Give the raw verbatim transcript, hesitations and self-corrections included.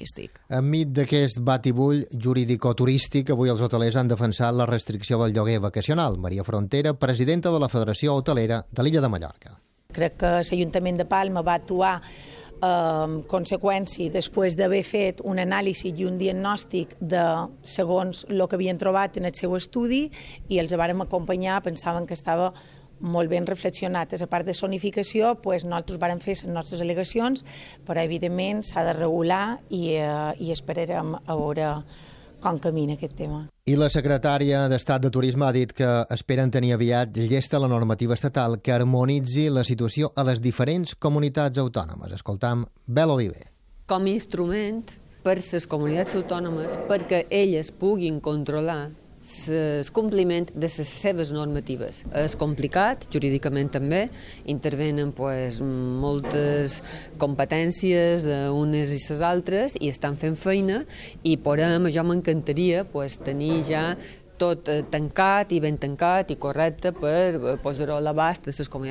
turístic. Enmig d'aquest batibull jurídico-turístic, avui els hotelers han defensat la restricció del lloguer vacacional. Maria Frontera, presidenta de la Federació Hotelera de l'Illa de Mallorca. Crec que l'Ajuntament de Palma va actuar en conseqüència després d'haver fet un anàlisi i un diagnòstic de segons el que havien trobat en el seu estudi i els vàrem acompanyar, pensaven que estava molt ben reflexionat. A la part de zonificació, pues, nosaltres vàrem fer les nostres al·legacions, però evidentment s'ha de regular i, eh, i esperarem a veure com camina aquest tema. I la secretària d'Estat de Turisme ha dit que esperen tenir aviat llesta la normativa estatal que harmonitzi la situació a les diferents comunitats autònomes. Escoltam Bel Oliver. Com a instrument per les comunitats autònomes perquè elles puguin controlar el compliment de les seves normatives. És complicat, jurídicament també, intervenen pues, moltes competències d'unes i les altres i estan fent feina i per a jo m'encantaria pues, tenir ja tot tancat i ben tancat i correcte per posar-ho a l'abast de les comunitats